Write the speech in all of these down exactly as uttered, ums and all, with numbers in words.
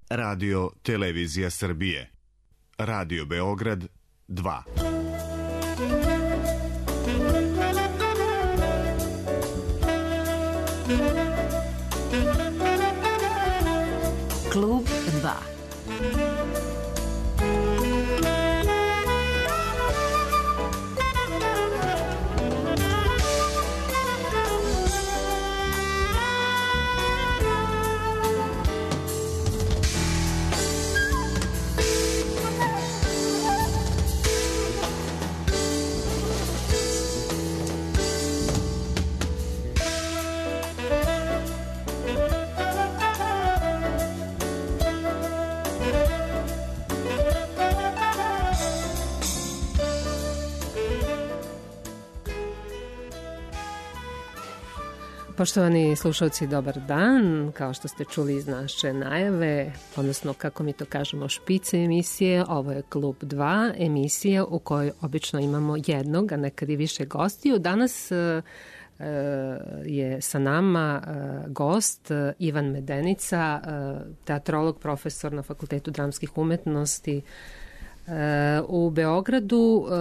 Radio Televizija Srbije. Radio Beograd dva. Klub dva. Poštovani slušalci, dobar dan. Kao što ste čuli iz naše najave, odnosno kako mi to kažemo špice emisije, ovo je Klub dva, emisija u kojoj obično imamo jednog, a nekad i više gostiju. Danas e, je sa nama e, gost e, Ivan Medenica, e, teatrolog, profesor na Fakultetu dramskih umetnosti e, u Beogradu, e,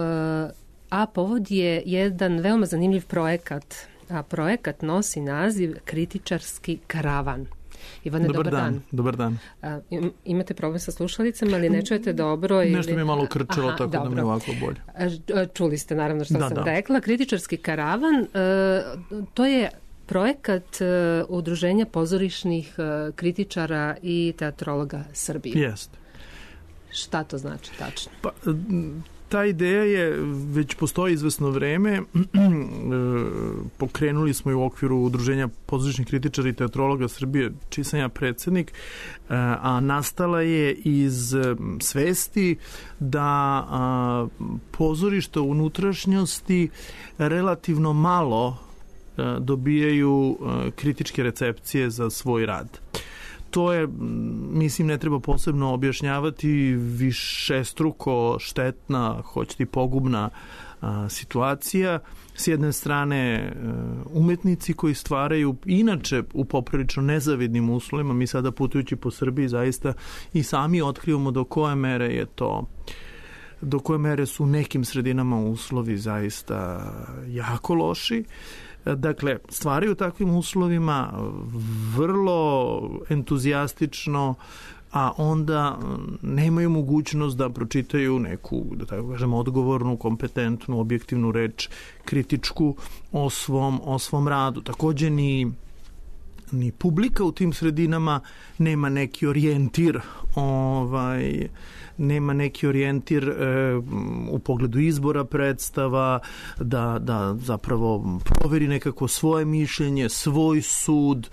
a povod je jedan veoma zanimljiv projekat, a projekat nosi naziv Kritičarski karavan. Ivane, dobar, dobar dan. dan. Dobar dan. A, imate problem sa slušalicama, ali ne čujete dobro? Ili... Nešto mi je malo krčilo, aha, tako dobro. Da mi je ovako bolje. A, čuli ste naravno što da, sam da. rekla. Kritičarski karavan, to je projekat Udruženja pozorišnih kritičara i teatrologa Srbije. Jeste. Šta to znači tačno? Pa, ta ideja je, već postoji izvesno vreme, pokrenuli smo je u okviru Udruženja pozorišnih kritičara i teatrologa Srbije, čiji sam ja predsednik, a nastala je iz svesti da pozorišta u unutrašnjosti relativno malo dobijaju kritičke recepcije za svoj rad. To je, mislim, ne treba posebno objašnjavati, višestruko štetna, hoćete i pogubna a, situacija. S jedne strane umetnici koji stvaraju inače u poprilično nezavidnim uslovima, mi sada putujući po Srbiji zaista i sami otkrivamo do koje mere je to, do koje mere su u nekim sredinama uslovi zaista jako loši. Dakle, stvaraju u takvim uslovima vrlo entuzijastično, a onda nemaju mogućnost da pročitaju neku, da tako kažem, odgovornu, kompetentnu, objektivnu reč, kritičku o svom, o svom radu. Takođe ni ni publika u tim sredinama nema neki orijentir, ovaj, nema neki orijentir e, u pogledu izbora predstava, da, da zapravo proveri nekako svoje mišljenje, svoj sud.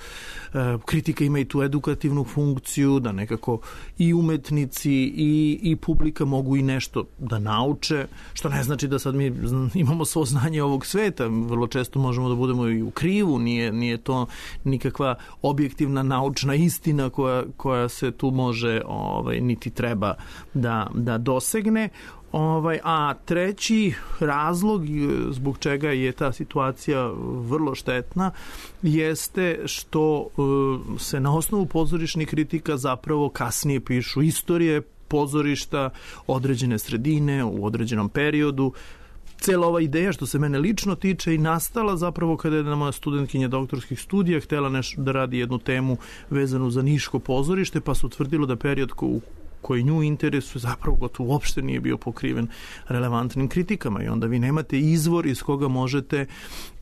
E, kritika ima i tu edukativnu funkciju, da nekako i umetnici i, i publika mogu i nešto da nauče, što ne znači da sad mi imamo svo znanje ovog sveta, vrlo često možemo da budemo i u krivu, nije, nije to nikakva objektivna naučna istina koja, koja se tu može, ovaj, niti treba da, da dosegne. Ovaj, a treći razlog zbog čega je ta situacija vrlo štetna jeste što uh, se na osnovu pozorišnih kritika zapravo kasnije pišu istorije pozorišta, određene sredine u određenom periodu. Cela ova ideja, što se mene lično tiče, i nastala zapravo kada je moja studentkinja doktorskih studija htela nešto da radi jednu temu vezanu za niško pozorište, pa se utvrdilo da period ko, koji nju interesuje zapravo gotovo uopšte nije bio pokriven relevantnim kritikama, i onda vi nemate izvor iz koga možete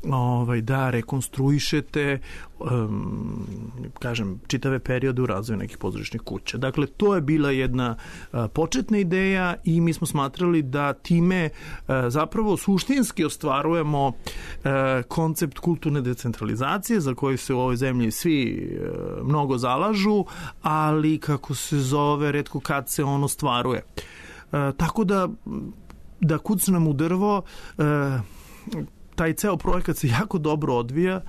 ovaj, da rekonstruišete um, kažem, čitave periode u razvoju nekih pozorišnih kuća. Dakle, to je bila jedna uh, početna ideja i mi smo smatrali da time uh, zapravo suštinski ostvarujemo uh, koncept kulturne decentralizacije za koji se u ovoj zemlji svi uh, mnogo zalažu, ali kako se zove, retko kad se on ostvaruje. Uh, tako da da kucnem u drvo, uh, taj ceo projekat se jako dobro odvija,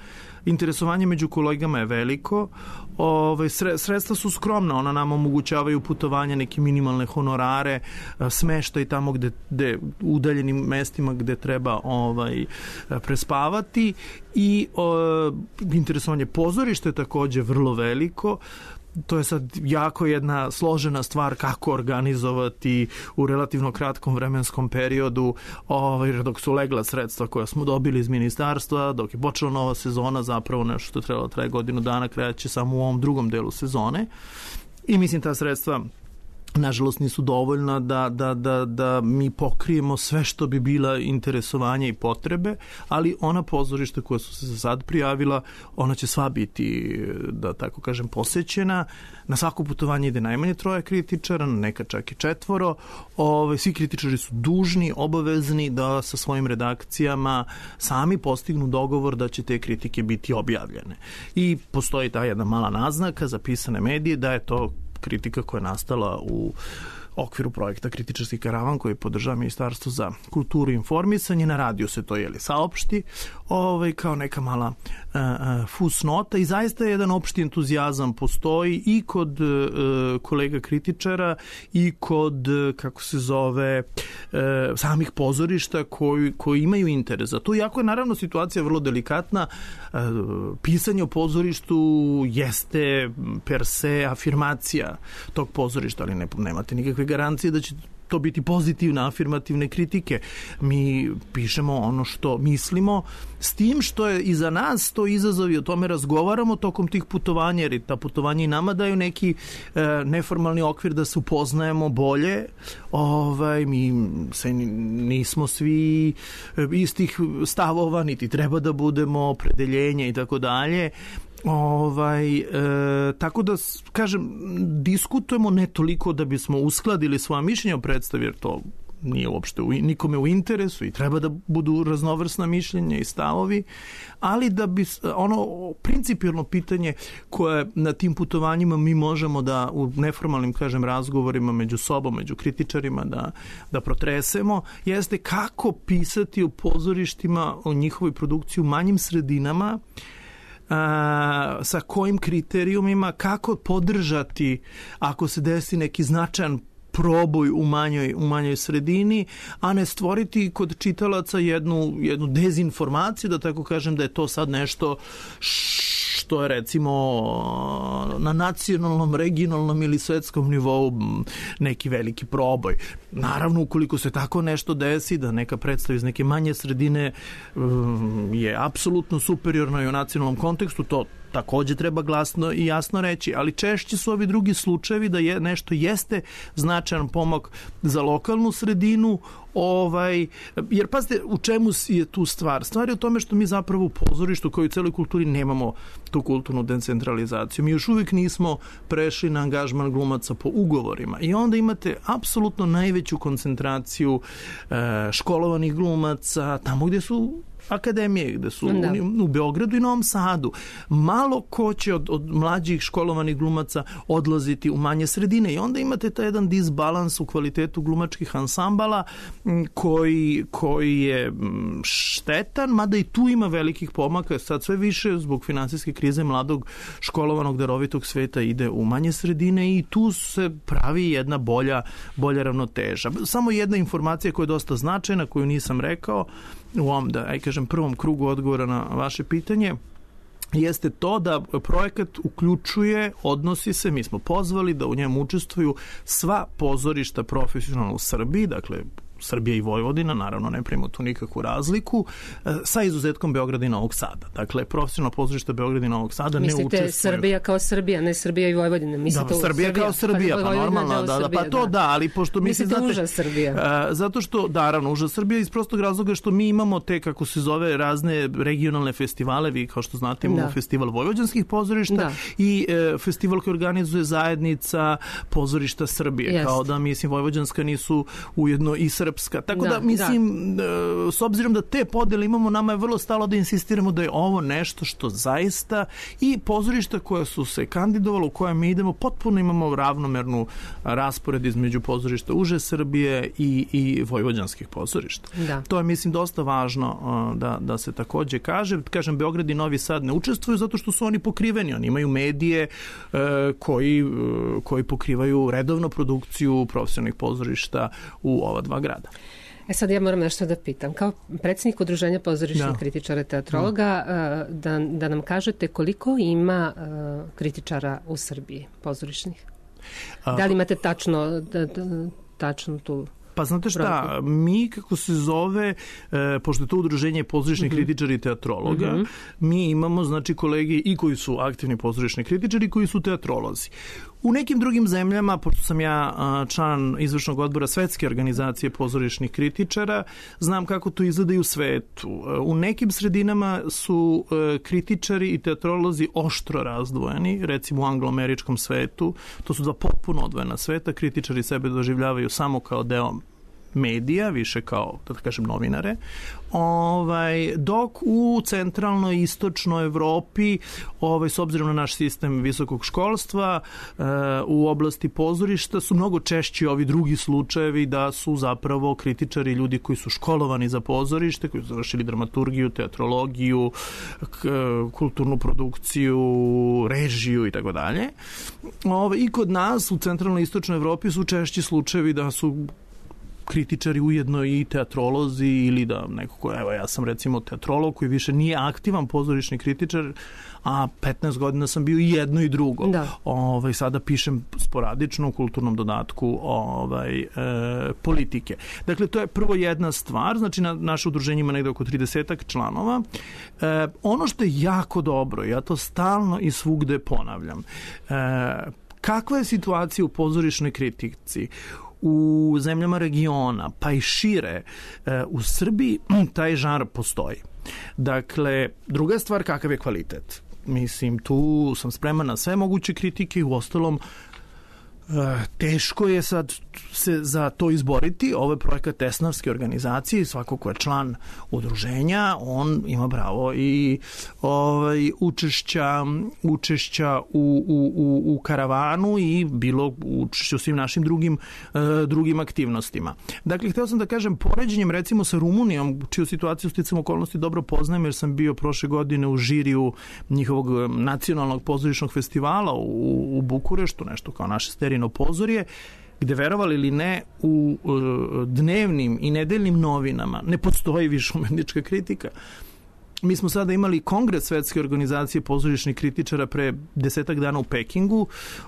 interesovanje među kolegama je veliko, ove, sredstva su skromna, ona nam omogućavaju putovanja, neke minimalne honorare, smeštaj tamo gde, gde udaljenim mestima gde treba ovaj, prespavati, i o, interesovanje pozorišta je takođe vrlo veliko. to je sad jako jedna složena stvar kako organizovati u relativno kratkom vremenskom periodu, ovaj, dok su legla sredstva koja smo dobili iz ministarstva, dok je počela nova sezona, zapravo nešto što je trebalo traje godinu dana, kreće samo u ovom drugom delu sezone. I mislim ta sredstva nažalost nisu dovoljna da, da, da, da mi pokrijemo sve što bi bila interesovanja i potrebe, ali ona pozorišta koja su se sad prijavila, ona će sva biti, da tako kažem, posećena. Na svako putovanje ide najmanje troje kritičara, neka čak i četvoro. Ove, svi kritičari su dužni, obavezni da sa svojim redakcijama sami postignu dogovor da će te kritike biti objavljene. I postoji ta jedna mala naznaka za pisane medije da je to kritika koja je nastala u okviru projekta Kritičarski karavan koji podržava Ministarstvo za kulturu i informisanje. Na radiju se to jeli saopšti ovaj, kao neka mala uh, uh, fusnota i zaista jedan opšti entuzijazam postoji i kod uh, kolega kritičara i kod, uh, kako se zove, uh, samih pozorišta koji, koji imaju interes za to. Iako je naravno situacija vrlo delikatna, uh, pisanje o pozorištu jeste per se afirmacija tog pozorišta, ali ne, nemate nikakve garancije da će to biti pozitivne, afirmativne kritike. Mi pišemo ono što mislimo, s tim što je i za nas to izazov i o tome razgovaramo tokom tih putovanja, jer ta putovanja i nama daju neki e, neformalni okvir da se upoznajemo bolje. Ovaj, mi se nismo svi istih stavova, niti treba da budemo, opredeljenja i tako dalje. Ovaj, e, tako da, kažem, diskutujemo ne toliko da bismo uskladili svoja mišljenja o predstavi, jer to nije uopšte u, nikome u interesu i treba da budu raznovrsna mišljenja i stavovi, ali da bi ono principijelno pitanje koje na tim putovanjima mi možemo da u neformalnim, kažem, razgovorima među sobom, među kritičarima da, da protresemo, jeste kako pisati o pozorištima, o njihovoj produkciji u manjim sredinama, a, sa kojim kriterijumima, kako podržati ako se desi neki značajan proboj u manjoj, u manjoj sredini, a ne stvoriti kod čitalaca jednu, jednu dezinformaciju, da tako kažem, da je to sad nešto što je recimo na nacionalnom, regionalnom ili svetskom nivou neki veliki proboj. Naravno, ukoliko se tako nešto desi, da neka predstava iz neke manje sredine je apsolutno superiorna i u nacionalnom kontekstu, to takođe treba glasno i jasno reći, ali češće su ovi drugi slučajevi da je nešto jeste značajan pomak za lokalnu sredinu, ovaj, jer pazite u čemu je tu stvar. Stvar je u tome što mi zapravo u pozorištu kao i u celoj kulturi nemamo tu kulturnu decentralizaciju. Mi još uvijek nismo prešli na angažman glumaca po ugovorima i onda imate apsolutno najveću koncentraciju e, školovanih glumaca tamo gdje su akademije, gde su da. u, u Beogradu i Novom Sadu. Malo ko će od, od mlađih školovanih glumaca odlaziti u manje sredine i onda imate taj jedan disbalans u kvalitetu glumačkih ansambala koji, koji je štetan, mada i tu ima velikih pomaka. Sad sve više zbog finansijske krize mladog školovanog darovitog sveta ide u manje sredine i tu se pravi jedna bolja, bolja ravnoteža. Samo jedna informacija koja je dosta značajna, koju nisam rekao u ovom, da aj kažem, prvom krugu odgovora na vaše pitanje, jeste to da projekat uključuje, odnosi se, mi smo pozvali da u njemu učestvuju sva pozorišta profesionalna u Srbiji, dakle Srbija i Vojvodina, naravno ne pravimo tu nikakvu razliku, sa izuzetkom Beograda i Novog Sada. Dakle, profesionalno pozorište Beograda i Novog Sada mislite ne učestvuju. Mislite Srbija kao Srbija, ne Srbija i Vojvodina? Mislite da, Srbija, Srbija kao Srbija, pa, pa normalno, da, da, pa to da, ali pošto mi se znate... Mislite uža Srbija? Uh, zato što, da, naravno, uža Srbija iz prostog razloga što mi imamo te, kako se zove, razne regionalne festivale, vi kao što znate imamo da. festival vojvođanskih pozorišta da. i uh, festival koji organizuje zajednica pozorišta Srbije, Jest. kao da, mislim, vojvođanska nisu ujedno i srpska. Tako da, da mislim, da. s obzirom da te podele imamo, nama je vrlo stalo da insistiramo da je ovo nešto što zaista i pozorišta koja su se kandidovala, u koje mi idemo, potpuno imamo ravnomernu raspored između pozorišta uže Srbije i, i vojvođanskih pozorišta. Da. To je, mislim, dosta važno da, da se takođe kaže. Kažem, Beograd i Novi Sad ne učestvuju zato što su oni pokriveni. Oni imaju medije koji, koji pokrivaju redovno produkciju profesionalnih pozorišta u ova dva grada. E sad ja moram nešto da pitam. Kao predsjednik Udruženja pozorišnih da. kritičara i teatrologa, da, da nam kažete koliko ima uh, kritičara u Srbiji pozorišnih? A, da li imate tačno, da, da, tačno tu... Pa znate šta, mi kako se zove, e, pošto je to udruženje pozorišnih mm-hmm. kritičara i teatrologa, mm-hmm. mi imamo znači kolege i koji su aktivni pozorišni kritičari i koji su teatrolozi. U nekim drugim zemljama, pošto sam ja član izvršnog odbora Svetske organizacije pozorišnih kritičara, znam kako to izgleda i u svetu. U nekim sredinama su kritičari i teatrolozi oštro razdvojeni, recimo u angloameričkom svetu. To su dva potpuno odvojena sveta. Kritičari sebe doživljavaju samo kao deo medija, više kao, da kažem, novinare. Ovaj, dok u centralnoj i istočnoj Evropi, ovaj, s obzirom na naš sistem visokog školstva, e, u oblasti pozorišta su mnogo češći ovi drugi slučajevi da su zapravo kritičari ljudi koji su školovani za pozorište, koji su završili dramaturgiju, teatrologiju, k, kulturnu produkciju, režiju i tako dalje. Ovaj, I kod nas u centralnoj i istočnoj Evropi su češći slučajevi da su kritičari ujedno i teatrolozi ili da neko ko, evo ja sam recimo teatrolog koji više nije aktivan pozorišni kritičar, a petnaest godina sam bio i jedno i drugo. Da. Ovaj, sada pišem sporadično u kulturnom dodatku ovaj, e, politike. Dakle, to je prvo jedna stvar, znači na, naše udruženje ima negde oko tridesetak članova. E, ono što je jako dobro, ja to stalno i svugde ponavljam, e, kakva je situacija u pozorišnoj kritici? U zemljama regiona, pa i šire, u Srbiji taj žanr postoji. Dakle, druga stvar, kakav je kvalitet? Mislim, tu sam spreman na sve moguće kritike i u ostalom teško je sad se za to izboriti. Ovo je projekat Tesnavske organizacije, svako ko je član udruženja, on ima pravo i ovaj, učešća, učešća u, u, u, u karavanu i bilo učešća u svim našim drugim, uh, drugim aktivnostima. Dakle, hteo sam da kažem, poređenjem recimo sa Rumunijom, čiju situaciju sticam okolnosti dobro poznajem, jer sam bio prošle godine u žiriju njihovog nacionalnog pozorišnog festivala u, u Bukureštu, nešto kao naše Sterino pozorje, gde, verovali ili ne, u uh, dnevnim i nedeljnim novinama ne postoji više umetnička kritika. Mi smo sada imali kongres Svetske organizacije pozorišnih kritičara pre desetak dana u Pekingu.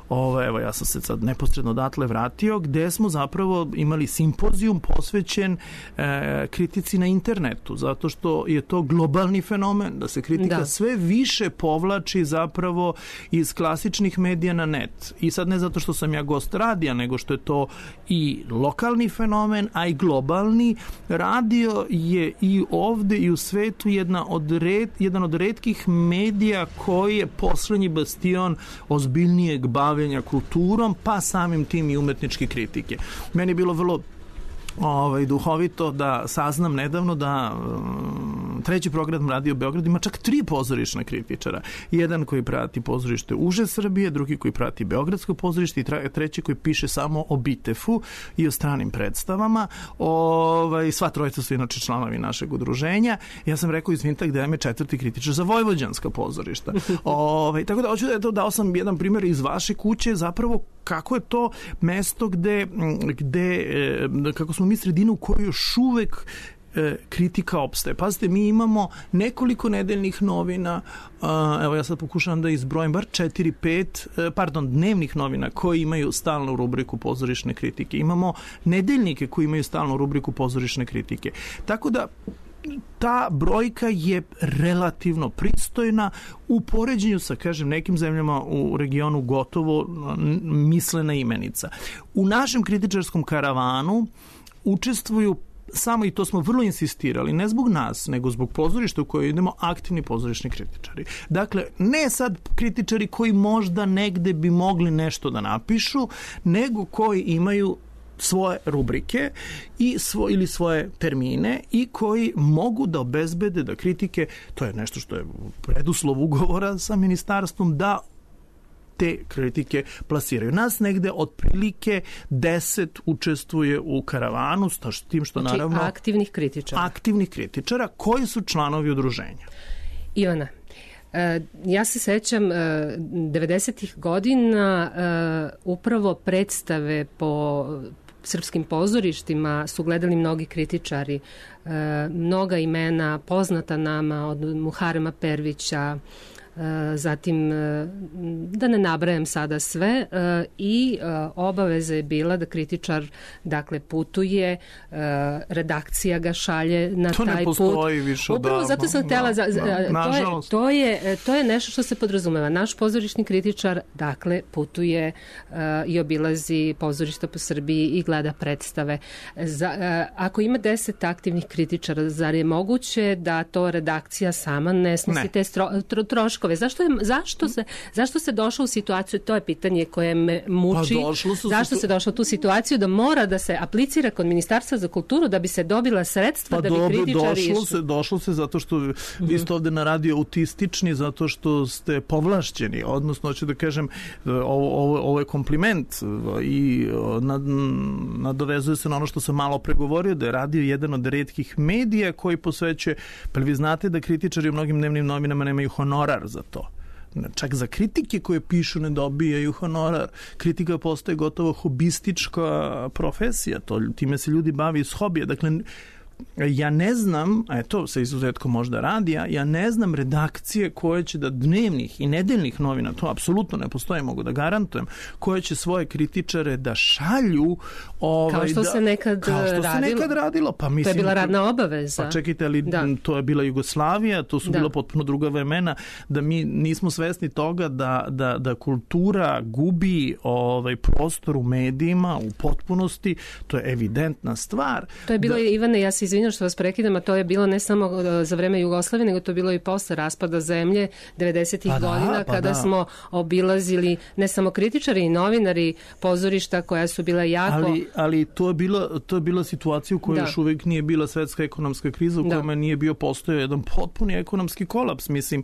Ovo, evo, ja sam se sad neposredno odatle vratio, gde smo zapravo imali simpozijum posvećen e, kritici na internetu, zato što je to globalni fenomen, da se kritika da. sve više povlači zapravo iz klasičnih medija na net. I sad ne zato što sam ja gost radija, nego što je to i lokalni fenomen, a i globalni. Radio je i ovde i u svetu jedna od Od red, jedan od retkih medija koji je poslednji bastion ozbiljnijeg bavljenja kulturom, pa samim tim i umetničke kritike. Meni je bilo vrlo ovaj, duhovito da saznam nedavno da um, treći program Radio Beograd ima čak tri pozorišna kritičara. Jedan koji prati pozorište uže Srbije, drugi koji prati beogradsko pozorište i treći koji piše samo o Bitefu i o stranim predstavama. Ovaj, sva trojica su inače članovi našeg udruženja. Ja sam rekao, izvinite, gde je četvrti kritičar za vojvođanska pozorišta. Ovaj, tako da hoću da eto, dao sam jedan primjer iz vaše kuće, zapravo kako je to mesto gde, gde kako smo mi sredina u kojoj još uvek e, kritika opstaje. Pazite, mi imamo nekoliko nedeljnih novina, a, evo ja sad pokušavam da izbrojim bar četiri, pet, pardon, dnevnih novina koji imaju stalnu rubriku pozorišne kritike. Imamo nedeljnike koji imaju stalnu rubriku pozorišne kritike. Tako da ta brojka je relativno pristojna u poređenju sa, kažem, nekim zemljama u regionu gotovo mislena imenica. U našem kritičarskom karavanu učestvuju samo, i to smo vrlo insistirali, ne zbog nas, nego zbog pozorišta u koje idemo, aktivni pozorišni kritičari. Dakle, ne sad kritičari koji možda negde bi mogli nešto da napišu, nego koji imaju svoje rubrike i svo, ili svoje termine i koji mogu da obezbede da kritike, to je nešto što je preduslov ugovora sa ministarstvom, da te kritike plasiraju. Nas negde otprilike deset učestvuje u karavanu, s tim što znači, naravno... aktivnih kritičara. Aktivnih kritičara koji su članovi udruženja. Ivana, ja se sećam devedesetih godina upravo predstave po srpskim pozorištima su gledali mnogi kritičari, mnoga imena poznata nama od Muharema Pervića, zatim da ne nabrajam sada sve, i obaveza je bila da kritičar dakle putuje, redakcija ga šalje na to taj put. To ne postoji više odavno. Upravo zato sam htjela, da, za, da, to, je, to, je, to je nešto što se podrazumeva. Naš pozorišni kritičar dakle putuje uh, i obilazi pozorišta po Srbiji i gleda predstave. Za, uh, ako ima deset aktivnih kritičara, zar je moguće da to redakcija sama ne snosi ne. te stro, tro, troškove? Zašto, je, zašto, se, zašto se došlo u situaciju, to je pitanje koje me muči, pa zašto se došlo u tu situaciju da mora da se aplicira kod Ministarstva za kulturu da bi se dobila sredstva pa da bi dobro, kritičari došlo se, došlo se zato što mm-hmm. vi ste ovde na radio autistični, zato što ste povlašćeni, odnosno hoću da kažem ovo, ovo, ovo je kompliment i nad, nadovezuje se na ono što sam malo pregovorio, da je radio jedan od retkih medija koji posvećuje, pa vi znate da kritičari u mnogim dnevnim novinama nemaju honorar za to. Čak za kritike koje pišu ne dobijaju honorar. Kritika postaje gotovo hobistička profesija. To, time se ljudi bavi iz hobija. Dakle, ja ne znam, a to sa izuzetkom možda radija, ja ne znam redakcije koje će da dnevnih i nedeljnih novina, to apsolutno ne postoji, mogu da garantujem, koje će svoje kritičare da šalju ovaj, kao što da, se nekad kao što radilo. se nekad radilo. Pa, mislim, to je bila radna obaveza. Pa čekajte, ali da. to je bila Jugoslavija, to su da. bila potpuno druga vremena, da mi nismo svesni toga da, da, da kultura gubi ovaj, prostor u medijima u potpunosti, to je evidentna stvar. To je bilo, da, Ivane, ja se izvinjam što vas prekidam, a to je bilo ne samo za vreme Jugoslavije, nego to je bilo i posle raspada zemlje devedesetih pa da, godina, pa kada da. smo obilazili ne samo kritičari i novinari pozorišta koja su bila jako... Ali, ali to je bila, to je bila situacija u kojoj da. još uvijek nije bila svetska ekonomska kriza, u kojoj nije bio postojao jedan potpuni ekonomski kolaps. Mislim,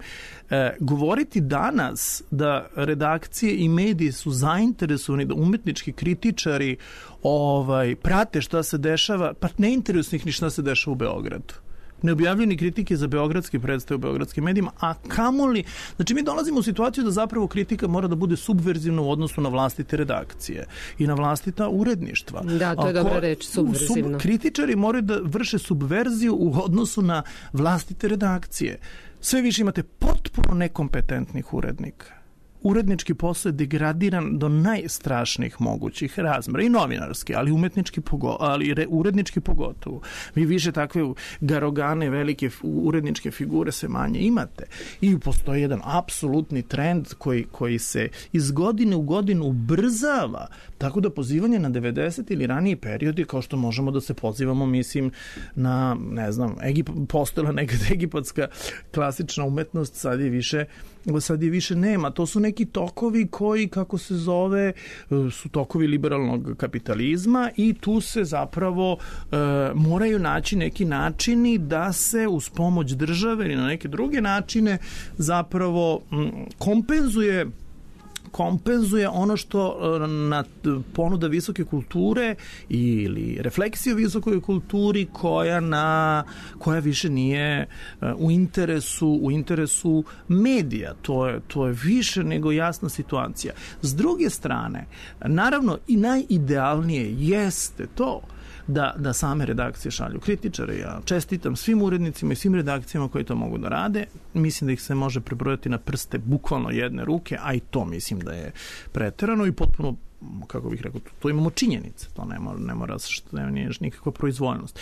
e, govoriti danas da redakcije i mediji su zainteresovani, da umetnički kritičari ovaj, prate šta se dešava, pa ne interesuje ih ni šta se dešava u Beogradu. Neobjavljeni kritike za beogradske predstave u beogradskim medijima, a kamoli, znači mi dolazimo u situaciju da zapravo kritika mora da bude subverzivna u odnosu na vlastite redakcije i na vlastita uredništva. Da, to je Ako, dobra reč, subverzivno. Sub, kritičari moraju da vrše subverziju u odnosu na vlastite redakcije. Sve više imate potpuno nekompetentnih urednika. Urednički posao je degradiran do najstrašnijih mogućih razmera i novinarski, ali umetnički pogo, ali re, urednički pogotovo. Vi više takve garogane, velike uredničke figure se manje imate. I postoji jedan apsolutni trend koji, koji se iz godine u godinu ubrzava, tako da pozivanje na devedeset ili raniji periodi, kao što možemo da se pozivamo, mislim, na, ne znam, Egip, postojala nekad egipatska klasična umetnost, sad je više sad je više nema. To su neki tokovi koji, kako se zove, su tokovi liberalnog kapitalizma i tu se zapravo e, moraju naći neki načini da se uz pomoć države ili na neke druge načine zapravo m, kompenzuje kompenzuje ono što na ponuda visoke kulture ili refleksija o visokoj kulturi koja na koja više nije u interesu u interesu medija. To je to je više nego jasna situacija. S druge strane, naravno i najidealnije jeste to da, da same redakcije šalju kritičare. Ja čestitam svim urednicima i svim redakcijama koji to mogu da rade. Mislim da ih se može prebrojati na prste bukvalno jedne ruke, a i to mislim da je preterano i potpuno, kako bih rekao, to imamo činjenice. To ne mora, ne mora što ne nije nikakva proizvoljnost.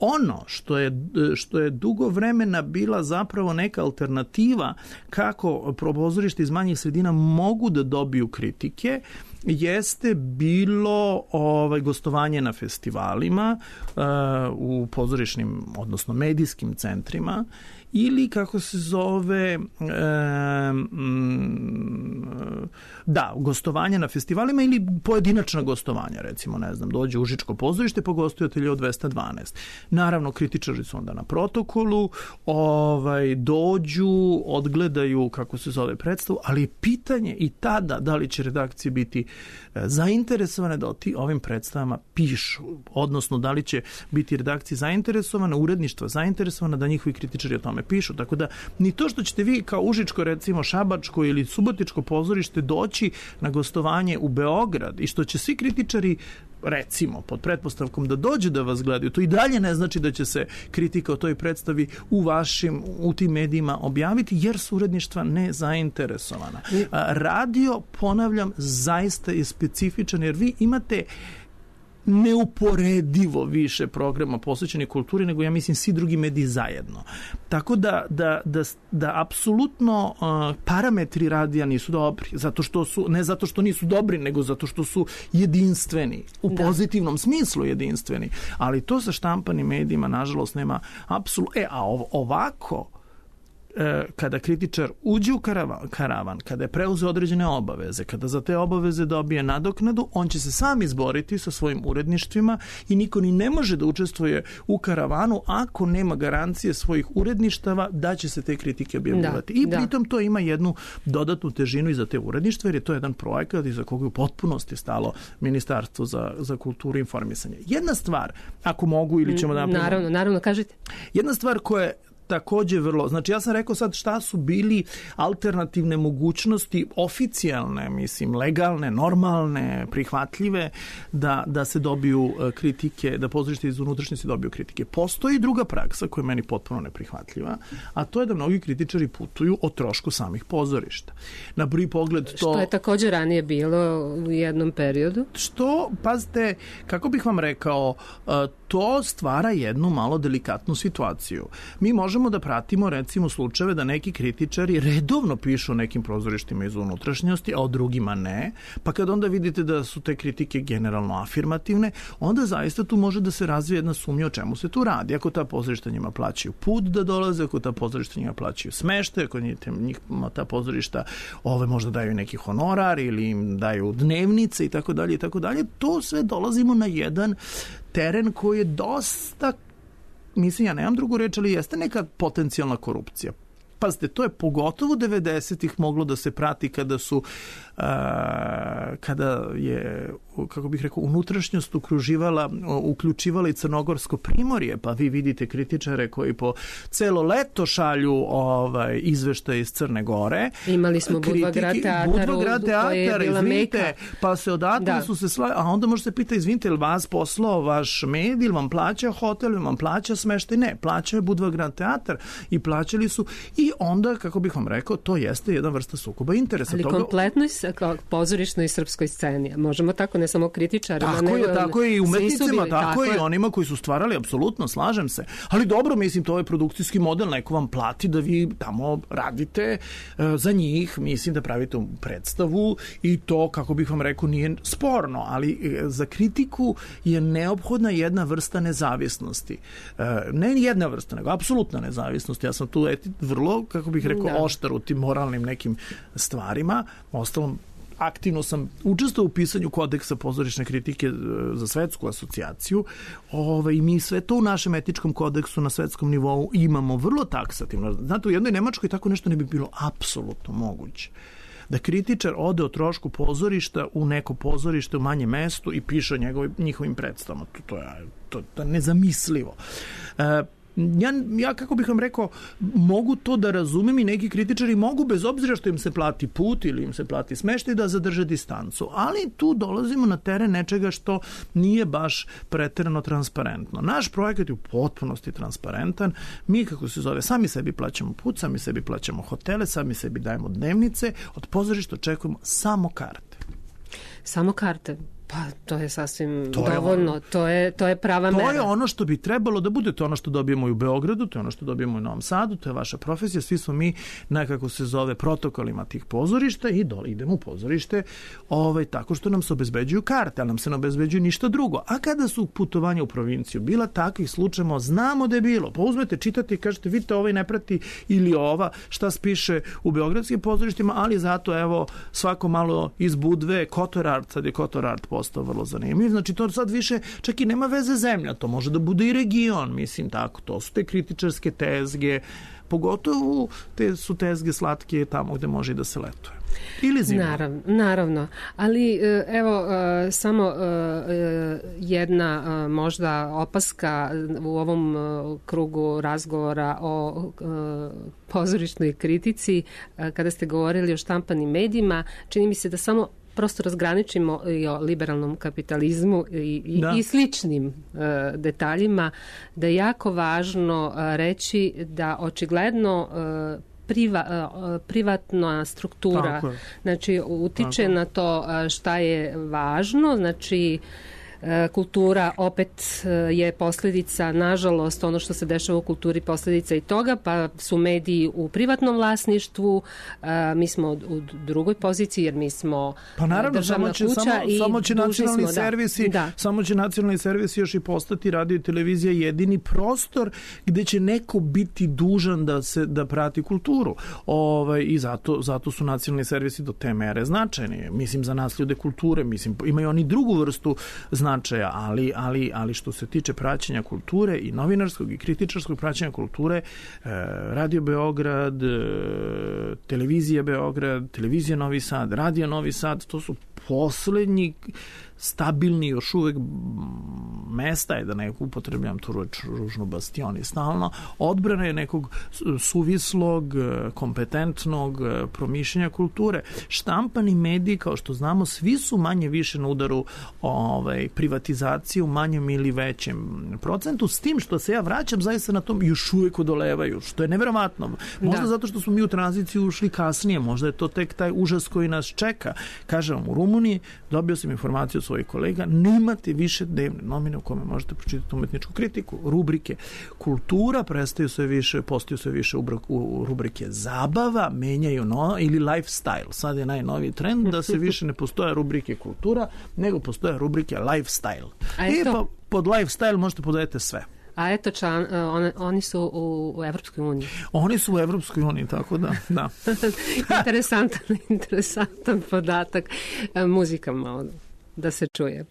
Ono što je, što je dugo vremena bila zapravo neka alternativa kako pozorište iz manjih sredina mogu da dobiju kritike, jeste bilo ovaj, gostovanje na festivalima uh, u pozorišnim, odnosno medijskim centrima ili kako se zove e, mm, da, gostovanje na festivalima ili pojedinačna gostovanja, recimo, ne znam, dođe u Užičko pozorište pa gostuje Atelje dvesta dvanaest. Naravno, kritičari su onda na protokolu, ovaj, dođu, odgledaju, kako se zove, predstavu, ali pitanje i tada da li će redakcije biti zainteresovane da o ti ovim predstavama pišu, odnosno da li će biti redakcije zainteresovane, uredništva zainteresovane da njihovi kritičari o tome pišu. Tako da ni to što ćete vi kao Užičko, recimo Šabačko ili Subotičko pozorište doći na gostovanje u Beograd i što će svi kritičari recimo, pod pretpostavkom da dođe da vas gledaju, to i dalje ne znači da će se kritika o toj predstavi u vašim, u tim medijima objaviti, jer su uredništva nezainteresovana. Radio, ponavljam, zaista je specifičan, jer vi imate neuporedivo više programa posvećenih kulturi nego, ja mislim, svi drugi mediji zajedno. Tako da, da, da, da apsolutno uh, parametri radija nisu dobri, zato što su, ne zato što nisu dobri, nego zato što su jedinstveni, u da. pozitivnom smislu jedinstveni. Ali to sa štampanim medijima, nažalost, nema apsolutno. E, a ovako, kada kritičar uđe u karavan, karavan, kada je preuzeo određene obaveze, kada za te obaveze dobije nadoknadu, on će se sam izboriti sa svojim uredništvima i niko ni ne može da učestvuje u karavanu ako nema garancije svojih uredništava da će se te kritike objavljivati. Da, I pritom da. to ima jednu dodatnu težinu i za te uredništva, jer je to jedan projekat iza koga je u potpunosti stalo Ministarstvo za, za kulturu i informisanje. Jedna stvar, ako mogu ili ćemo da napravimo... Naravno, naravno, kažete. Jedna stvar koja je takođe vrlo, znači ja sam rekao sad šta su bili alternativne mogućnosti, oficijalne, mislim, legalne, normalne, prihvatljive, da, da se dobiju kritike, da pozorište iz unutrašnjosti dobiju kritike. Postoji druga praksa koja je meni potpuno neprihvatljiva, a to je da mnogi kritičari putuju o trošku samih pozorišta. Na prvi pogled to... Što je takođe ranije bilo u jednom periodu? Što, pazite, kako bih vam rekao, to stvara jednu malo delikatnu situaciju. Mi možemo da pratimo, recimo, slučajeve da neki kritičari redovno pišu o nekim pozorištima iz unutrašnjosti, a o drugima ne, pa kad onda vidite da su te kritike generalno afirmativne, onda zaista tu može da se razvije jedna sumnja o čemu se tu radi. Ako ta pozorišta njima plaćaju put da dolaze, ako ta pozorišta njima plaćaju smeštaj, ako njima ta pozorišta ove možda daju neki honorar ili im daju dnevnice i tako dalje i tako dalje, to sve dolazimo na jedan teren koji je dosta, mislim, ja nemam drugu reč, ali jeste neka potencijalna korupcija. Pazite, to je pogotovo devedesetih moglo da se prati kada su uh, kada je, kako bih rekao, unutrašnjost ukruživala, uključivala i Crnogorsko primorje, pa vi vidite kritičare koji po celo leto šalju ovaj, izveštaj iz Crne Gore. Imali smo Budva grad teatar, Budva grad teatar, izvinite, pa se odatle da. su se sla... a onda može se pita, izvinite, ili vas poslao vaš medij, ili vam plaća hotel, ili vam plaća smeštaj? Ne, plaća je Budva grad teatar i plaćali su i onda, kako bih vam rekao, to jeste jedna vrsta sukoba interesa. Ali toga... kompletnoj pozorišnoj srpskoj sceni, možemo tako, ne samo kritičarima. Tako je, tako je i umetnicima, bili, tako, tako je i onima koji su stvarali, apsolutno, slažem se. Ali dobro, mislim, to je produkcijski model, neko vam plati da vi tamo radite uh, za njih, mislim da pravite predstavu i to, kako bih vam rekao, nije sporno, ali uh, za kritiku je neophodna jedna vrsta nezavisnosti. Uh, ne jedna vrsta, nego apsolutna nezavisnost. Ja sam tu eti, vrlo, kako bih rekao, da. oštar u tim moralnim nekim stvarima. Ostalom, aktivno sam učestvovao u pisanju kodeksa pozorišne kritike za svetsku asocijaciju. Ove, i mi sve to u našem etičkom kodeksu na svetskom nivou imamo vrlo taksativno. Znate, u jednoj Nemačkoj tako nešto ne bi bilo apsolutno moguće. Da kritičar ode o trošku pozorišta u neko pozorište u manjem mestu i piše o njegovim, njihovim predstavama. To, to, je, to, to je nezamislivo. E, Ja, ja, kako bih vam rekao, mogu to da razumem i neki kritičari mogu, bez obzira što im se plati put ili im se plati smeštaj, da zadrže distancu. Ali tu dolazimo na teren nečega što nije baš preterano transparentno. Naš projekat je u potpunosti transparentan. Mi, kako se zove, sami sebi plaćamo put, sami sebi plaćamo hotele, sami sebi dajemo dnevnice, od pozorišta očekujemo samo karte. Samo karte? Pa to je sasvim to dovoljno, je ono, to, je, to je prava to mera. To je ono što bi trebalo da bude, to je ono što dobijemo i u Beogradu, to je ono što dobijemo i u Novom Sadu, to je vaša profesija, svi smo mi, nekako se zove, protokolima tih pozorišta i dole idemo u pozorište ovaj, tako što nam se obezbeđuju karte, ali nam se ne obezbeđuju ništa drugo. A kada su putovanja u provinciju bila takvih slučajeva, znamo da je bilo. Pa uzmete, čitate i kažete, vidite, ovaj ne prati ili ova, šta spiše u beogradskim pozorištima, ali zato, evo, svako malo iz Budve, Kotor Art, sad je Kotor Art postao vrlo zanimljiv. Znači, to sad više čak i nema veze zemlja, to može da bude i region, mislim tako, to su te kritičarske tezge, pogotovo te su tezge slatke tamo gde može i da se letuje. Ili zima. Naravno, naravno. Ali evo samo jedna možda opaska u ovom krugu razgovora o pozorišnoj kritici, kada ste govorili o štampanim medijima, čini mi se da samo prosto razgraničimo i o liberalnom kapitalizmu i, i, i sličnim uh, detaljima, da je jako važno uh, reći da očigledno uh, Priva, privatna struktura znači utiče Tako. na to šta je važno, znači kultura opet je posljedica, nažalost, ono što se dešava u kulturi posljedica i toga, pa su mediji u privatnom vlasništvu, mi smo u drugoj poziciji jer mi smo pa naravno, državna samo će, kuća samo, i samo će nacionalni smo, servisi, da. samo će nacionalni servisi još i postati radio i televizija jedini prostor gde će neko biti dužan da se da prati kulturu. Ovaj i zato zato su nacionalni servisi do te mere značajni. Mislim za nas ljude kulture, mislim imaju oni drugu vrstu značaja, ali, ali, ali što se tiče praćenja kulture i novinarskog i kritičarskog praćenja kulture, e, Radio Beograd, e, Televizija Beograd, Televizija Novi Sad, Radio Novi Sad, to su poslednji stabilni još uvek mesta je da neko upotrebljam tu reč ružno bastioni stalno, odbrana je nekog suvislog, kompetentnog promišljanja kulture. Štampani mediji, kao što znamo, svi su manje više na udaru ovaj, privatizacije u manjem ili većem procentu, s tim što se ja vraćam zaista na tom još uvek odolevaju, što je neverovatno. Možda da. zato što smo mi u tranziciju ušli kasnije, možda je to tek taj užas koji nas čeka. Kažem vam, u Rumuniji dobio sam informaciju od svojih kolega, nemate više dnevne novine u kome možete pročitati umetničku kritiku, rubrike kultura, prestaju sve više, postaju sve više u rubrike zabava, menjaju no, ili lifestyle. Sad je najnoviji trend da se više ne postoje rubrike kultura, nego postoje rubrike lifestyle. I pa, pod lifestyle možete podajete sve. A eto, član, on, oni su u, u Evropskoj uniji. Oni su u Evropskoj uniji, tako da. da. interesantan, interesantan podatak. Muzika malo da se čuje.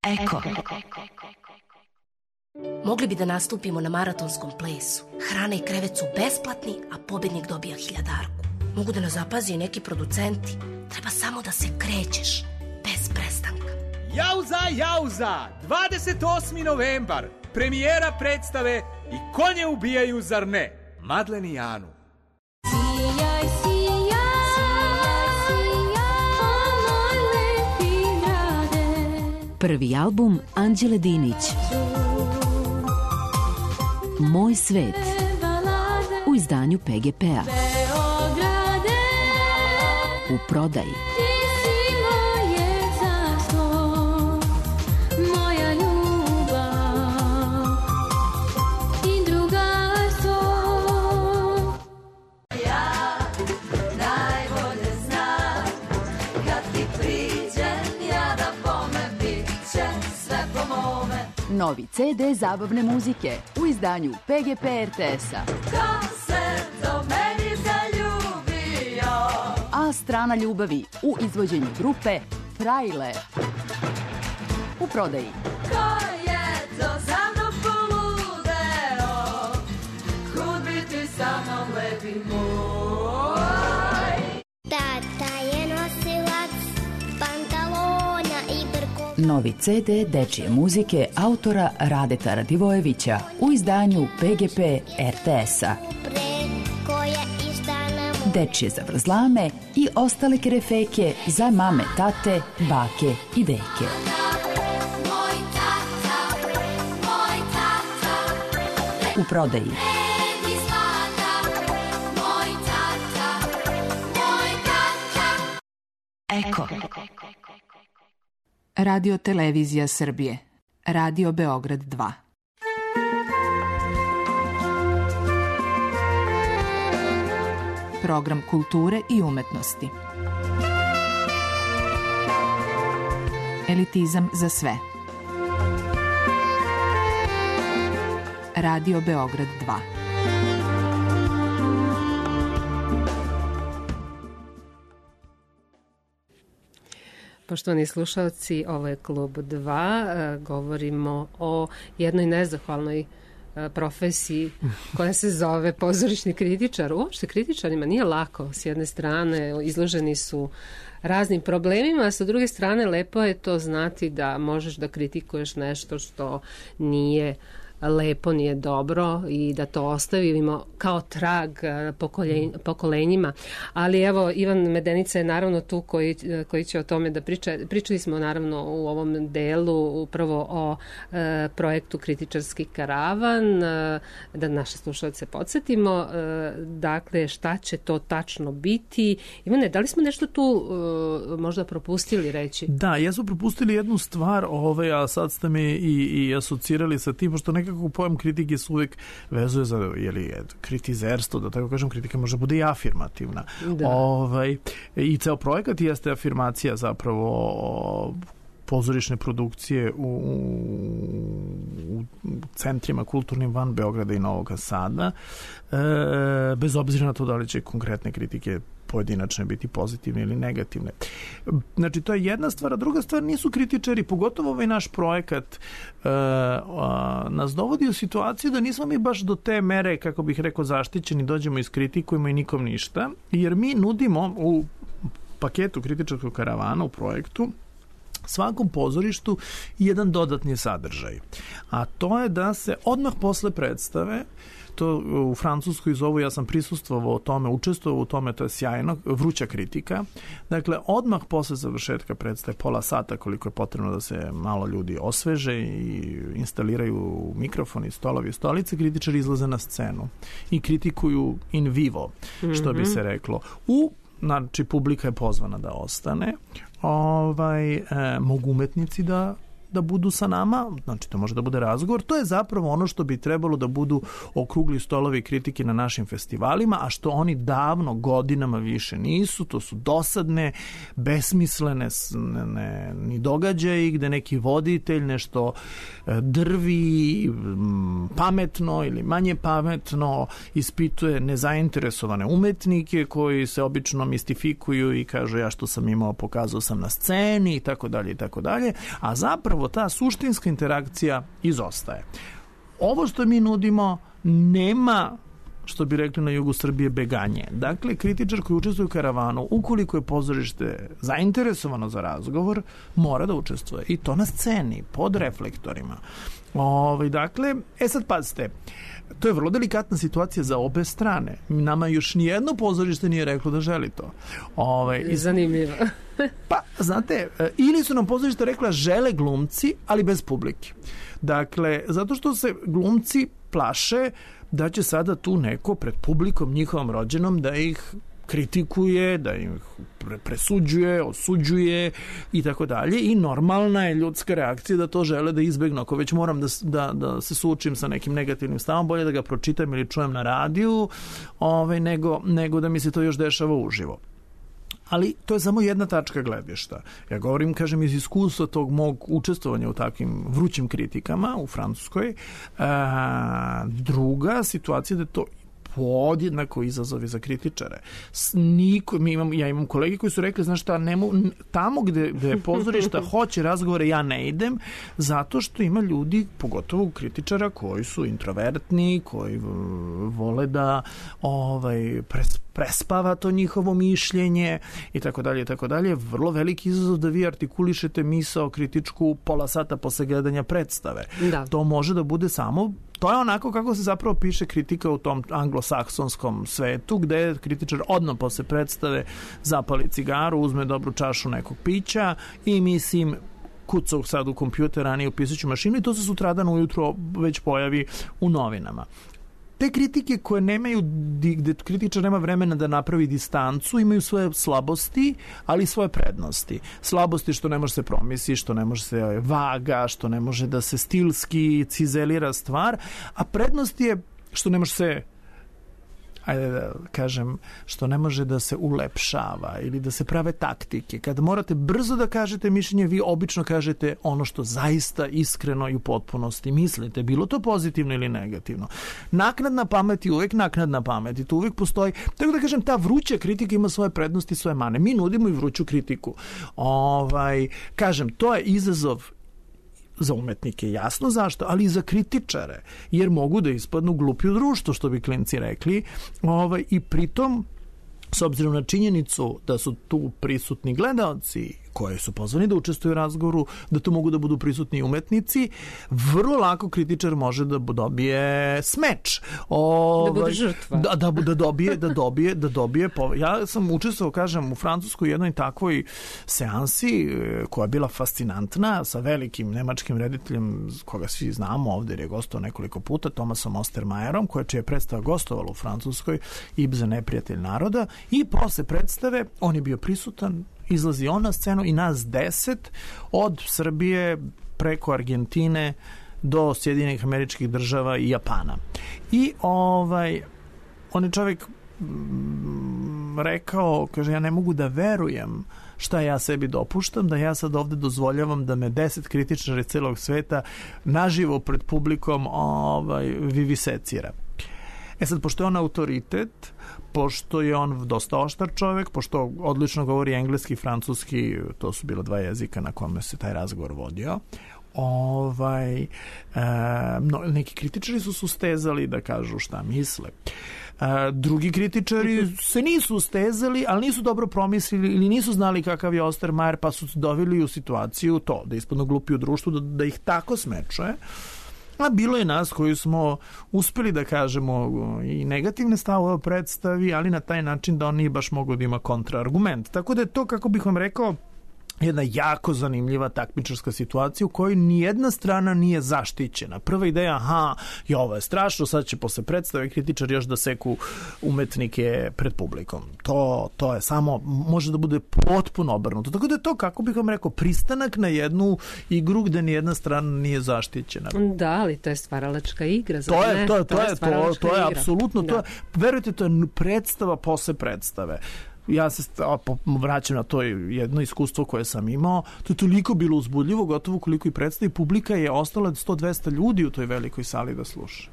Eko. Mogli bi da nastupimo na maratonskom plesu. Hrana i krevet su besplatni, a pobednik dobija hiljadarku. Mogu da nas zapazi i neki producenti. Treba samo da se krećeš, bez prestanka. Jauza, jauza! dvadeset osmi novembar. Premijera predstave I konje ubijaju, zar ne? Madlen i Anu. Sijaj, sijaj, sijaj, o moj lepi grade. Prvi album Anđele Dinić. Moj svet. U izdanju P G P-a. U prodaji. Novi ce de zabavne muzike u izdanju P G P R T S-a. Ko se do meni zaljubio? A strana ljubavi u izvođenju grupe Frajle. U prodaji. Ko je to za mnom poludeo? Kud bi ti sa mnom lepi moj? Tata je nosilac pantalona i brkova. Novi ce de dečije muzike autora Radeta Radivojevića u izdanju P G P R T S-a. Dečije zavrzlame i ostale kerefeke za mame, tate, bake i deke. U prodaji. Eko. Radio Televizija Srbije. Radio Beograd dva. Program kulture i umetnosti. Elitizam za sve. Radio Beograd dva. Poštovani slušalci, ovo je Klub dva. Govorimo o jednoj nezahvalnoj profesiji koja se zove pozorišni kritičar. Uopšte kritičarima nije lako. S jedne strane izloženi su raznim problemima, a sa druge strane lepo je to znati da možeš da kritikuješ nešto što nije lepo, nije dobro i da to ostavimo kao trag pokoljen, pokolenjima. Ali evo, Ivan Medenica je naravno tu koji, koji će o tome da priča. Pričali smo naravno u ovom delu upravo o e, projektu Kritičarski karavan, e, da naše slušalce podsjetimo. E, dakle, šta će to tačno biti? Ivane, da li smo nešto tu e, možda propustili reći? Da, jesu propustili jednu stvar, ove, a sad ste me i, i asocirali sa tim, pošto nekako pojam kritike se uvijek vezuje za jeli, kritizerstvo, da tako kažem, kritika može bude i afirmativna. Ovaj, i ceo projekat jeste afirmacija zapravo pozorišne produkcije u, u, u centrima kulturnim van Beograda i Novog Sada, e, bez obzira na to da li će konkretne kritike pojedinačne biti pozitivne ili negativne. Znači, to je jedna stvar, a druga stvar, nisu kritičari, pogotovo ovaj naš projekat e, a, nas dovodi u situaciju da nismo mi baš do te mere, kako bih rekao, zaštićeni, dođemo iskritikujemo i nikom ništa, jer mi nudimo u paketu kritičarskog karavana, u projektu, svakom pozorištu jedan dodatni sadržaj. A to je da se odmah posle predstave, to u Francuskoj zovu, ja sam prisustvovao o tome, učestvovao u tome, to je sjajno, vruća kritika. Dakle, odmah posle završetka predstave, pola sata koliko je potrebno da se malo ljudi osveže i instaliraju mikrofoni, stolovi, stolice, kritičari izlaze na scenu i kritikuju in vivo, što bi se reklo. U Znači, publika je pozvana da ostane. Ovaj, e, mogu umetnici da da budu sa nama, znači to može da bude razgovor, to je zapravo ono što bi trebalo da budu okrugli stolovi kritike na našim festivalima, a što oni davno, godinama više nisu, to su dosadne, besmislene ne, ne, ni događaji gde neki voditelj nešto drvi pametno ili manje pametno, ispituje nezainteresovane umetnike koji se obično mistifikuju i kažu ja što sam imao pokazao sam na sceni i tako dalje i tako dalje, a zapravo zapravo ta suštinska interakcija izostaje. Ovo što mi nudimo nema, što bi rekli na jugu Srbije, beganje. Dakle, kritičar koji učestvuje u karavanu, ukoliko je pozorište zainteresovano za razgovor, mora da učestvuje. I to na sceni, pod reflektorima. Ove, dakle, e sad pazite, to je vrlo delikatna situacija za obe strane. Nama još nijedno pozorište nije reklo da želi to. Ove, Zanimljivo. Pa, znate, ili su nam pozorište rekla žele glumci, ali bez publike. Dakle, zato što se glumci plaše da će sada tu neko pred publikom njihovom rođenom da ih kritikuje, da ih presuđuje, osuđuje i tako dalje, i normalna je ljudska reakcija da to žele da izbegnu. Ako već moram da, da, da se suočim sa nekim negativnim stavom, bolje da ga pročitam ili čujem na radiju, ovaj, nego, nego da mi se to još dešava uživo. Ali to je samo jedna tačka gledišta. Ja govorim, kažem, iz iskustva tog mog učestvovanja u takvim vrućim kritikama u Francuskoj. A, druga situacija da je to podjednako izazovi za kritičare. Niko, mi imam, ja imam kolege koji su rekli, znaš šta, nemo, tamo gde, gde pozorišta hoće razgovore, ja ne idem, zato što ima ljudi, pogotovo kritičara, koji su introvertni, koji vole da ovaj, pres, prespava to njihovo mišljenje i tako dalje i tako dalje. Vrlo veliki izazov da vi artikulišete misao kritičku pola sata posle gledanja predstave. Da. To može da bude samo, to je onako kako se zapravo piše kritika u tom anglosaksonskom svetu, gde kritičar odmah posle predstave zapali cigaru, uzme dobru čašu nekog pića i mislim kucao sad u kompjuter, a nije u pisaću mašinu, i to se sutradan ujutro već pojavi u novinama. Te kritike koje nemaju, gde kritičar nema vremena da napravi distancu, imaju svoje slabosti, ali i svoje prednosti. Slabosti što ne može se promisli, što ne može se vaga, što ne može da se stilski cizelira stvar, a prednost je što ne može se, ajde da kažem, što ne može da se ulepšava ili da se prave taktike. Kad morate brzo da kažete mišljenje, vi obično kažete ono što zaista iskreno i u potpunosti mislite, bilo to pozitivno ili negativno. Naknadna pamet je uvek naknadna pamet i to uvek postoji. Tako da kažem, ta vruća kritika ima svoje prednosti i svoje mane. Mi nudimo i vruću kritiku. Ovaj, kažem, to je izazov za umetnike, jasno zašto, ali i za kritičare, jer mogu da ispadnu glupi u društvu, što bi klinci rekli, ovaj, i pritom, s obzirom na činjenicu da su tu prisutni gledaoci koji su pozvani da učestvuju u razgovoru, da to mogu da budu prisutni umetnici, vrlo lako kritičar može da dobije smeč. O, da bude žrtva. Da, da, da dobije, da dobije, da dobije. Ja sam učestvovao, kažem, u Francuskoj jednoj takvoj seansi koja je bila fascinantna, sa velikim nemačkim rediteljem koga svi znamo ovde, jer je gostovao nekoliko puta, Thomasom Ostermayerom, koja čija je predstava gostovala u Francuskoj, Ibsen, neprijatelj naroda, i posle predstave on je bio prisutan, izlazi on na scenu i nas deset od Srbije preko Argentine do Sjedinjenih Američkih Država i Japana. I ovaj, on je čovjek mm, rekao, kaže, ja ne mogu da verujem šta ja sebi dopuštam, da ja sad ovde dozvoljavam da me deset kritičara celog sveta naživo pred publikom ovaj, vivisecira. E sad, pošto je on autoritet, pošto je on dosta oštar čovjek, pošto odlično govori engleski i francuski, to su bila dva jezika na kome se taj razgovor vodio, ovaj, e, no, neki kritičari su sustezali da kažu šta misle. E, drugi kritičari se nisu ustezali, ali nisu dobro promislili ili nisu znali kakav je Ostermayer, pa su doveli u situaciju to, da ispadnu glupi u društvu, da, da ih tako smečuje. A bilo je nas koji smo uspeli da kažemo i negativne stavove o predstavi, ali na taj način da on nije baš mogao da ima kontraargument. Tako da je to, kako bih vam rekao, jedna jako zanimljiva takmičarska situacija u kojoj nijedna strana nije zaštićena. Prva ideja, aha, je ovo je strašno, sad će posle predstave kritičar još da seku umetnike pred publikom. To, to je samo, može da bude potpuno obrnuto. Tako da je to, kako bih vam rekao, pristanak na jednu igru gde nijedna strana nije zaštićena. Da, ali to je stvaralačka igra. To je, to je, to je, to je, to je apsolutno, da. To je, verujte, to je predstava posle predstave. Ja se vraćam na to jedno iskustvo koje sam imao. To je toliko bilo uzbudljivo, gotovo koliko i predstavi. Publika je ostala sto do dvesta ljudi u toj velikoj sali da sluša.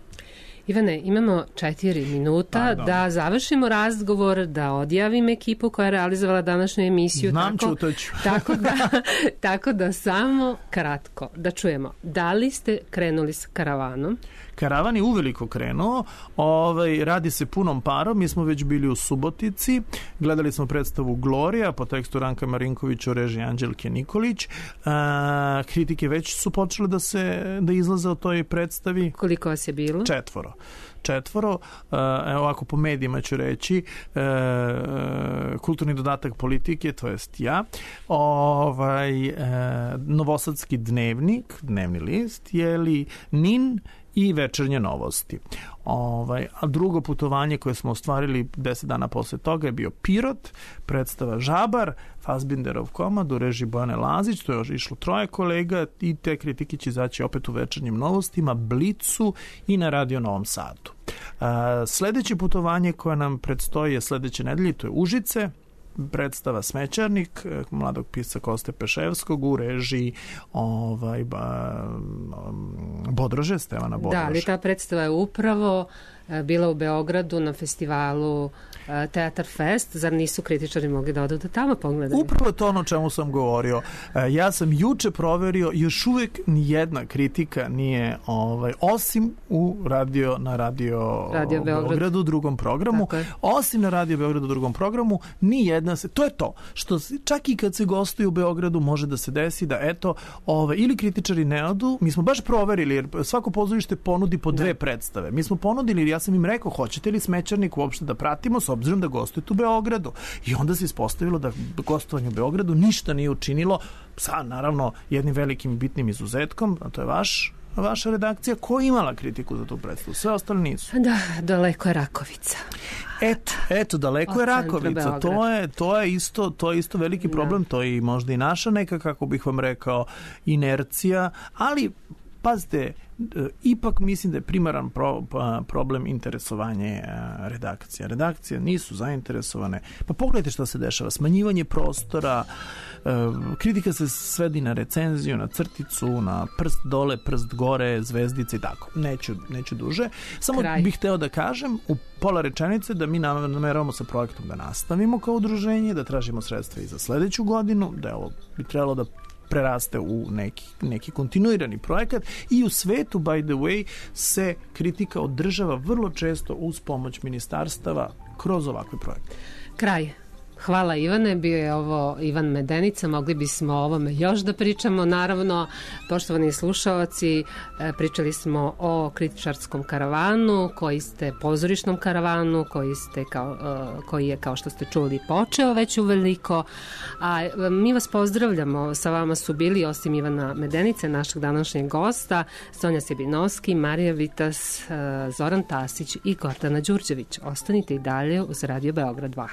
Ivane, imamo četiri minuta Pardon. da završimo razgovor, da odjavim ekipu koja je realizovala današnju emisiju. Znam, tako, čutaću. tako, da, tako da samo kratko da čujemo. Da li ste krenuli s karavanom? Karavan je uveliko krenuo, ovaj, radi se punom parom, mi smo već bili u Subotici, gledali smo predstavu Gloria po tekstu Ranka Marinkovića u režiji Anđelke Nikolić, a, kritike već su počele da se da izlaze o toj predstavi. Koliko vas je bilo? Četvoro. Četvoro, evo ovako po medijima ću reći, e, kulturni dodatak politike, to jest ja, ovaj, e, Novosadski dnevnik, dnevni list, jeli Nin i Večernje novosti. Ovaj, a drugo putovanje koje smo ostvarili deset dana posle toga je bio Pirot, predstava Žabar, Fassbinderov komad u režiji Bojane Lazić, to je još išlo troje kolega i te kritike će izaći opet u Večernjim novostima, Blicu i na Radio Novom Sadu. A, sledeće putovanje koje nam predstoji je sledeće nedelje, to je Užice, predstava Smećarnik mladog pisca Koste Peševskog u režiji ovaj, ba, Bodrože, Stevana Bodrože. Da, ali ta predstava je upravo bila u Beogradu na festivalu Teatar Fest. Zar nisu kritičari mogli da odu da tamo pogledaju? Upravo to ono o čemu sam govorio. Ja sam juče proverio, još uvek nijedna kritika nije, ovaj, osim u radio, na Radio, radio Beograd. Beogradu, drugom programu, osim na Radio Beogradu, drugom programu, nijedna se, to je to, što čak i kad se gostuju u Beogradu može da se desi da eto, ovaj, ili kritičari ne odu, mi smo baš proverili, jer svako pozorište ponudi po dve da. predstave. Mi smo ponudili, ja sam im rekao, hoćete li Smećarnik uopšte da pratimo, s obzirom da gostujete u Beogradu. I onda se ispostavilo da gostovanje u Beogradu ništa nije učinilo, sa naravno jednim velikim i bitnim izuzetkom, a to je vaš vaša redakcija, koja je imala kritiku za tu predstavu. Sve ostali nisu. Da, daleko je Rakovica. Eto, eto daleko je Rakovica. To je, to je isto, to je isto veliki problem, da. To je možda i naša neka, kako bih vam rekao, inercija, ali pazite, ipak mislim da je primaran pro, problem interesovanje redakcija. Redakcije nisu zainteresovane. Pa pogledajte šta se dešava. Smanjivanje prostora, kritika se svedi na recenziju, na crticu, na prst dole, prst gore, zvezdice i tako. Neću, neću duže. Samo Kraj. bih hteo da kažem u pola rečenice da mi nameravamo sa projektom da nastavimo kao udruženje, da tražimo sredstva i za sledeću godinu, da je ovo bi trebalo da preraste u neki, neki kontinuirani projekat i u svetu, by the way, se kritika održava vrlo često uz pomoć ministarstava kroz ovakve projekte. Kraj. Hvala Ivane, bio je ovo Ivan Medenica, mogli bismo o ovome još da pričamo. Naravno, poštovani slušaoci, pričali smo o kritičarskom karavanu, koji ste pozorišnom karavanu, koji, ste kao, koji je, kao što ste čuli, počeo već uveliko. A mi vas pozdravljamo, sa vama su bili, osim Ivana Medenice, našeg današnjeg gosta, Sonja Sebinovski, Marija Vitas, Zoran Tasić i Gordana Đurđević. Ostanite i dalje uz Radio Beograd dva.